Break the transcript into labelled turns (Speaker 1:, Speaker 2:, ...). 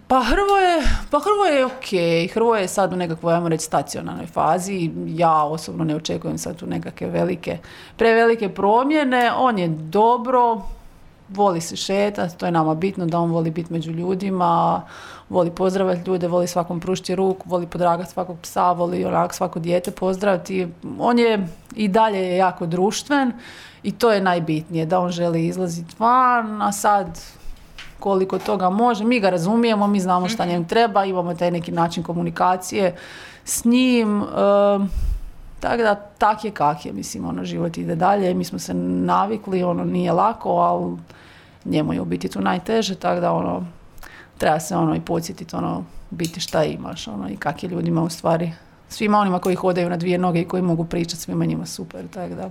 Speaker 1: Hrvoje je ok. Hrvoje je sad u nekakvoj, ajmo reći, stacionarnoj fazi. Ja osobno ne očekujem sad tu nekakve prevelike promjene. On je dobro, voli se šetati, to je nama bitno da on voli biti među ljudima, voli pozdravljati ljude, voli svakom pružiti ruku, voli podragati svakog psa, voli onak svako dijete pozdraviti. On je i dalje je jako društven i to je najbitnije, da on želi izlaziti van, a sad koliko toga može, mi ga razumijemo, mi znamo šta njem treba, imamo taj neki način komunikacije s njim, tako da tak je kak je, mislim, život ide dalje, mi smo se navikli, nije lako, ali njemu je u biti tu najteže, tako da treba se i podsjetiti biti šta imaš, i kak je ljudima u stvari, svima onima koji hodaju na dvije noge i koji mogu pričati, svima njima super, tako da.